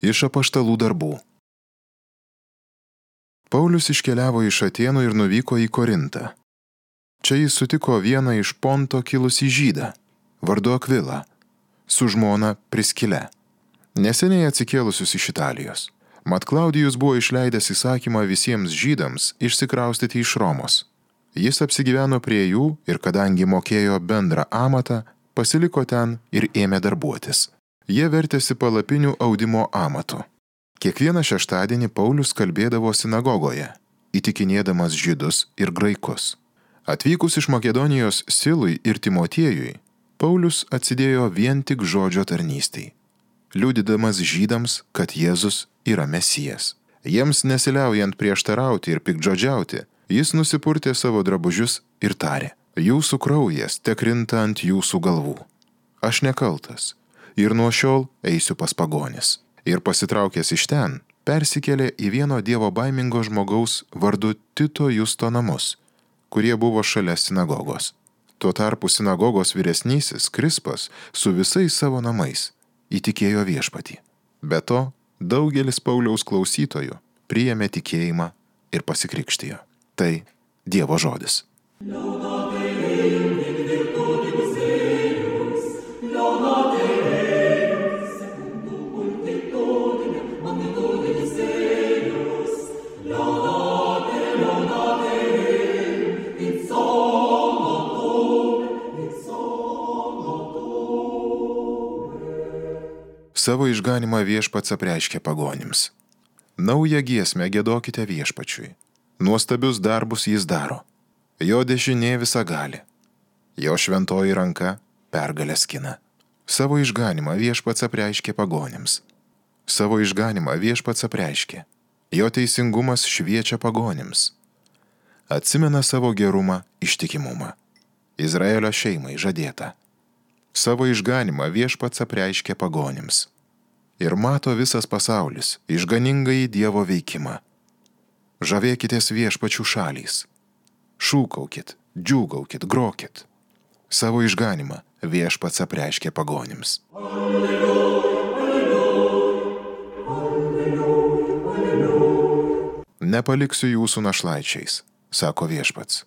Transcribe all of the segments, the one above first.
Iš apaštalų darbų. Paulius iškeliavo iš Atėnų ir nuvyko į Korintą. Čia jis sutiko vieną iš Ponto kilusį žydą, vardu Akvilą, su žmona Priskile, neseniai atsikėlusius iš Italijos. Mat Klaudijus buvo išleidęs įsakymą visiems žydams išsikraustyti iš Romos. Jis apsigyveno prie jų ir kadangi mokėjo bendrą amatą, pasiliko ten ir ėmė darbuotis. Jie vertėsi palapinių audimo amatu. Kiekvieną šeštadienį Paulius kalbėdavo sinagogoje, įtikinėdamas žydus ir graikus. Atvykus iš Makedonijos Silui ir Timotiejui, Paulius atsidėjo vien tik žodžio tarnystei, liudydamas žydams, kad Jėzus yra Mesijas. Jiems nesiliaujant prieštarauti ir piktžodžiauti, jis nusipurtė savo drabužius ir tarė: jūsų kraujas tekrinta ant jūsų galvų. Aš nekaltas ir nuo šiol eisiu pas pagonis. Ir pasitraukęs iš ten, persikėlė į vieno dievo baimingo žmogaus vardu Tito Justo namus, kurie buvo šalia sinagogos. Tuo tarpu sinagogos vyresnysis Krispas su visais savo namais įtikėjo viešpatį. Be to, daugelis Pauliaus klausytojų priėmė tikėjimą ir pasikrikštijo. Tai Dievo žodis. Savo išganimą viešpats apreiškė pagonims. Naują giesmę giedokite viešpačiui. Nuostabius darbus jis daro. Jo dešinė visagali. Jo šventoji ranka pergalę skina. Savo išganimą viešpats apreiškė pagonims. Savo išganimą viešpats apreiškė. Jo teisingumas šviečia pagonims. Atsimena savo gerumą, ištikimumą. Izraelio šeimai žadėta. Savo išganimą viešpats apreiškė pagonims. Ir mato visas pasaulis išganingąjį Dievo veikimą. Žavėkitės viešpačių šalys. Šūkaukit, džiūgaukit, grokit. Savo išganimą viešpats apreiškė pagonims. Nepaliksiu jūsų našlaičiais, sako viešpats.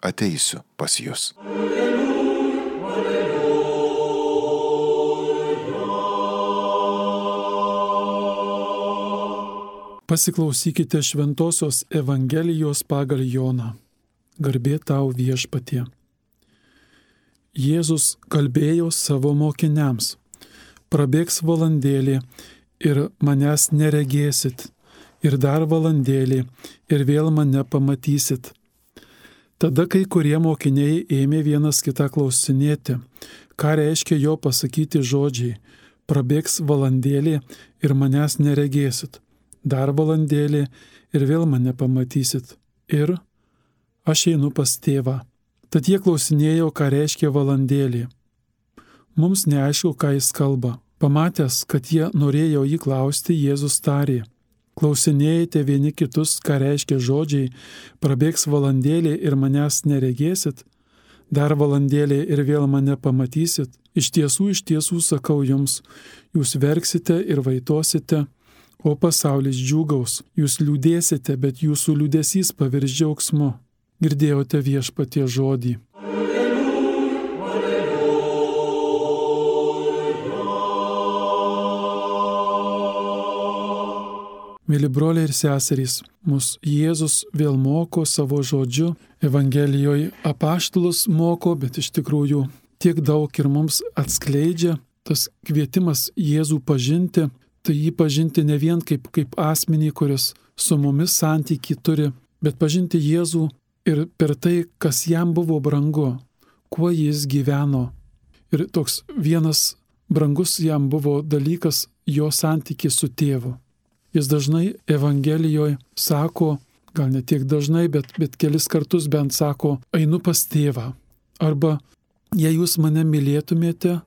Ateisiu pas jus. Pasiklausykite Šventosios Evangelijos pagal Joną. Garbė tau viešpatie. Jėzus kalbėjo savo mokiniams: prabėgs valandėlė ir manęs neregėsit, ir dar valandėlė ir vėl mane pamatysit. Tada kai kurie mokiniai ėmė vienas kitą klausinėti, ką reiškia jo pasakyti žodžiai: prabėgs valandėlė ir manęs neregėsit, dar valandėlė ir vėl mane pamatysit, ir aš einu pas tėvą. Tad jie klausinėjo, ką reiškia valandėlė. Mums neaišku, ką jis kalba. Pamatęs, kad jie norėjo jį klausti, Jėzus tarė: klausinėjate vieni kitus, ką reiškia žodžiai: prabėgs valandėlė ir manęs neregėsit, dar valandėlė ir vėl mane pamatysit. Iš tiesų sakau jums, jūs verksite ir vaitosite, o pasaulis džiūgaus. Jūs liūdėsite, bet jūsų liūdesys pavirs džiaugsmu. Girdėjote viešpatie žodį. Mėly broliai ir seserys, mus Jėzus vėl moko savo žodžiu. Evangelijoje apaštalus moko, bet iš tikrųjų tiek daug ir mums atskleidžia tas kvietimas Jėzų pažinti. Tai jį pažinti ne vien kaip asmenį, kuris su mumis santykį turi, bet pažinti Jėzų ir per tai, kas jam buvo brangu, kuo jis gyveno. Ir toks vienas brangus jam buvo dalykas jo santykis su tėvu. Jis dažnai Evangelijoje sako, gal ne tiek dažnai, bet kelis kartus bent sako: einu pas tėvą. Arba jei jūs mane mylėtumėte,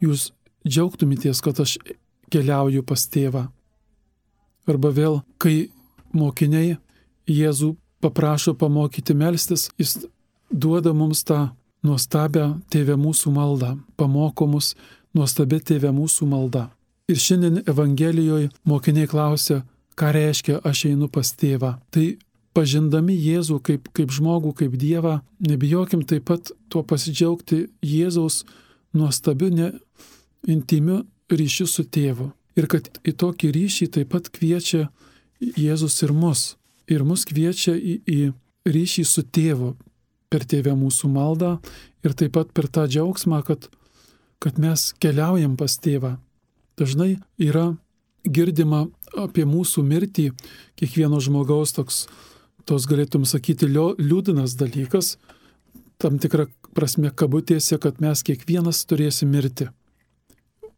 jūs džiaugtumėtės, kad aš keliauju pas tėvą. Arba vėl, kai mokiniai Jėzų paprašo pamokyti melstis, jis duoda mums tą nuostabią Tėve mūsų maldą, pamoko mus nuostabia Tėve mūsų malda. Ir šiandien Evangelijoje mokiniai klausia, ką reiškia aš einu pas tėvą. Tai pažindami Jėzų kaip žmogų, kaip Dievą, nebijokim taip pat tuo pasidžiaugti Jėzaus nuostabiu, intimiu ryšiu su tėvu. Ir kad į tokį ryšį taip pat kviečia Jėzus ir mus. Ir mus kviečia į ryšį su tėvu per tėvę mūsų maldą ir taip pat per tą džiaugsmą, kad mes keliaujam pas tėvą. Dažnai yra girdima apie mūsų mirtį, kiekvieno žmogaus tos galėtum sakyti liūdnas dalykas, tam tikra prasme kabutėse, kad mes kiekvienas turėsim mirti.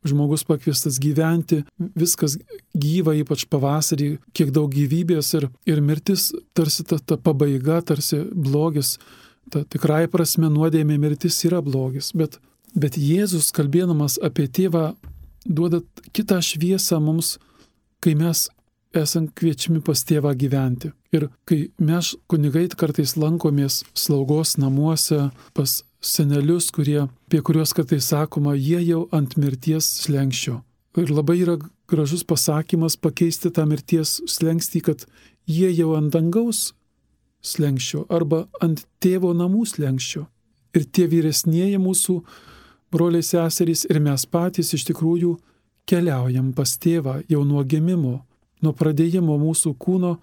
Žmogus pakviestas gyventi, viskas gyva, ypač pavasarį, kiek daug gyvybės ir mirtis tarsi ta pabaiga, tarsi blogis. Ta tikrai prasme nuodėmė mirtis yra blogis. Bet Jėzus, kalbėdamas apie tėvą, duoda kitą šviesą mums, kai mes esam kviečiami pas tėvą gyventi. Ir kai mes kunigai kartais lankomės slaugos namuose pas senelius, apie kuriuos kartais sakoma, jie jau ant mirties slenksčio. Ir labai yra gražus pasakymas pakeisti tą mirties slenkstį, kad jie jau ant dangaus slenksčio arba ant tėvo namų slenksčio. Ir tie vyresnieji mūsų broliai seserys ir mes patys iš tikrųjų keliaujam pas tėvą jau nuo gimimo, nuo pradėjimo mūsų kūno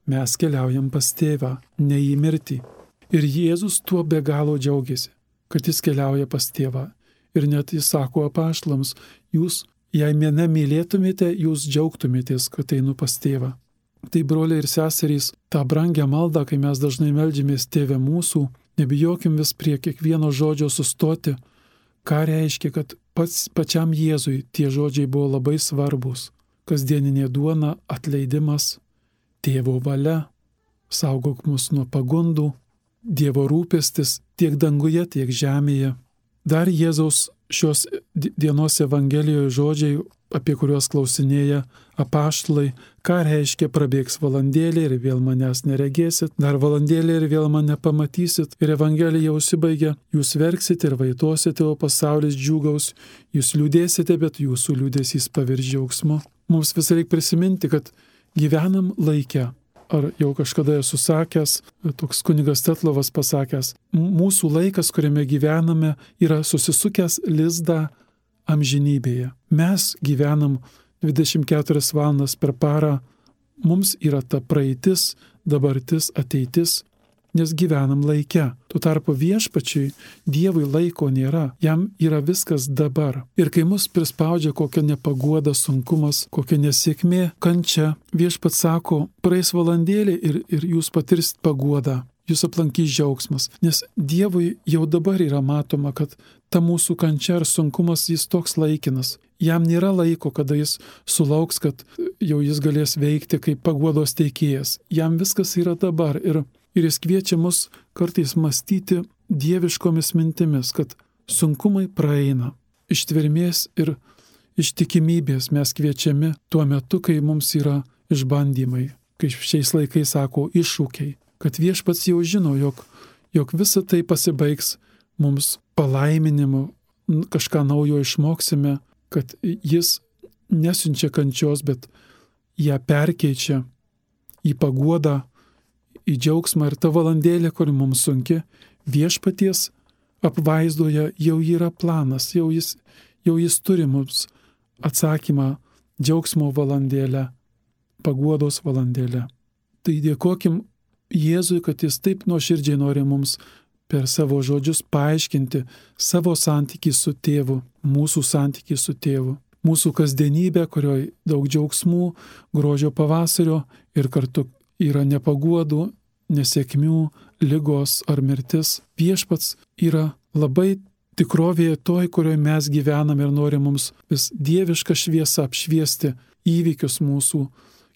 mes keliaujam pas tėvą, ne į mirtį. Ir Jėzus tuo be galo džiaugiasi, kad jis keliauja pas tėvą. Ir net jis sako apaštalams, jūs, jei mane mylėtumėte, jūs džiaugtumėtės, kad einu pas tėvą. Tai broliai ir seserys, tą brangią maldą, kai mes dažnai meldžiamės tėve mūsų, nebijokim vis prie kiekvieno žodžio sustoti, ką reiškia, kad pačiam Jėzui tie žodžiai buvo labai svarbus. Kasdieninė duona, atleidimas, tėvo valia, saugok mus nuo pagundų, Dievo rūpestis tiek danguje, tiek žemėje. Dar Jėzaus šios dienos Evangelijoje žodžiai, apie kuriuos klausinėja apaštalai, ką reiškia prabėgs valandėlė ir vėl manęs neregėsit, dar valandėlė ir vėl mane pamatysit. Ir Evangelija užsibaigia, jūs verksite ir vaitosite, o pasaulis džiūgaus, jūs liūdėsite, bet jūsų liūdesys pavirs džiaugsmu. Mums vis reikia prisiminti, kad gyvenam laike. Ar jau kažkada esu sakęs, toks kunigas Tetlovas pasakęs, mūsų laikas, kuriame gyvename, yra susisukęs lizdą amžinybėje. Mes gyvenam 24 valandas per parą, mums yra ta praeitis, dabartis, ateitis, nes gyvenam laike. Tuo tarpu viešpačiui, Dievui laiko nėra, jam yra viskas dabar. Ir kai mus prispaudžia kokia nepaguoda, sunkumas, kokia nesėkmė, kančia, viešpats sako, praeis valandėlė ir jūs patirsit paguodą, jūs aplankys džiaugsmas. Nes Dievui jau dabar yra matoma, kad ta mūsų kančia ar sunkumas jis toks laikinas. Jam nėra laiko, kada jis sulauks, kad jau jis galės veikti kaip paguodos teikėjas. Jam viskas yra dabar ir jis kviečia mus kartais mąstyti dieviškomis mintimis, kad sunkumai praeina. Ištvermės ir ištikimybės mes kviečiami tuo metu, kai mums yra išbandymai, kai šiais laikais sako iššūkiai, kad viešpats jau žino, jog visa tai pasibaigs mums palaiminimu, kažką naujo išmoksime, kad jis nesiunčia kančios, bet ją perkeičia į paguodą, į džiaugsmą. Ir ta valandėlė, kuri mums sunki, viešpaties apvaizdoje jau yra planas, jau jis turi mums atsakymą džiaugsmo valandėlę, paguodos valandėlę. Tai dėkokim Jėzui, kad jis taip nuoširdžiai nori mums per savo žodžius paaiškinti savo santykį su tėvu, mūsų santykį su tėvu, mūsų kasdienybę, kurioje daug džiaugsmų, grožio pavasario ir kartu yra nepaguodų, nesėkmių, ligos ar mirtis. Viešpats yra labai tikrovėje toj, kurioje mes gyvename ir nori mums vis dievišką šviesą apšviesti įvykius mūsų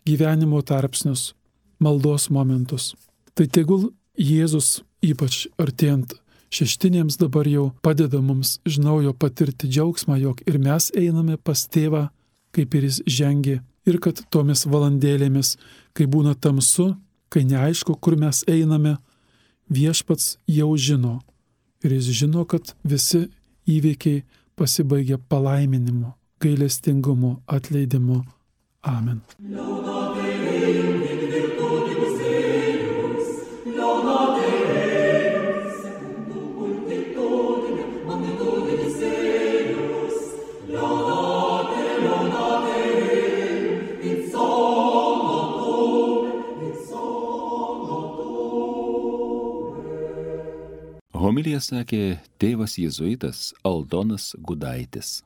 gyvenimo tarpsnius, maldos momentus. Tai tegul Jėzus, ypač artėjant šeštinėms, dabar jau padeda mums iš naujo patirti džiaugsmą, jog ir mes einame pas tėvą, kaip ir jis žengė, ir kad tomis valandėlėmis, kai būna tamsu, kai neaišku, kur mes einame, viešpats jau žino. Ir jis žino, kad visi įvykiai pasibaigia palaiminimu, gailestingumo atleidimu. Amen. Homiliją sakė tėvas jėzuitas Aldonas Gudaitis.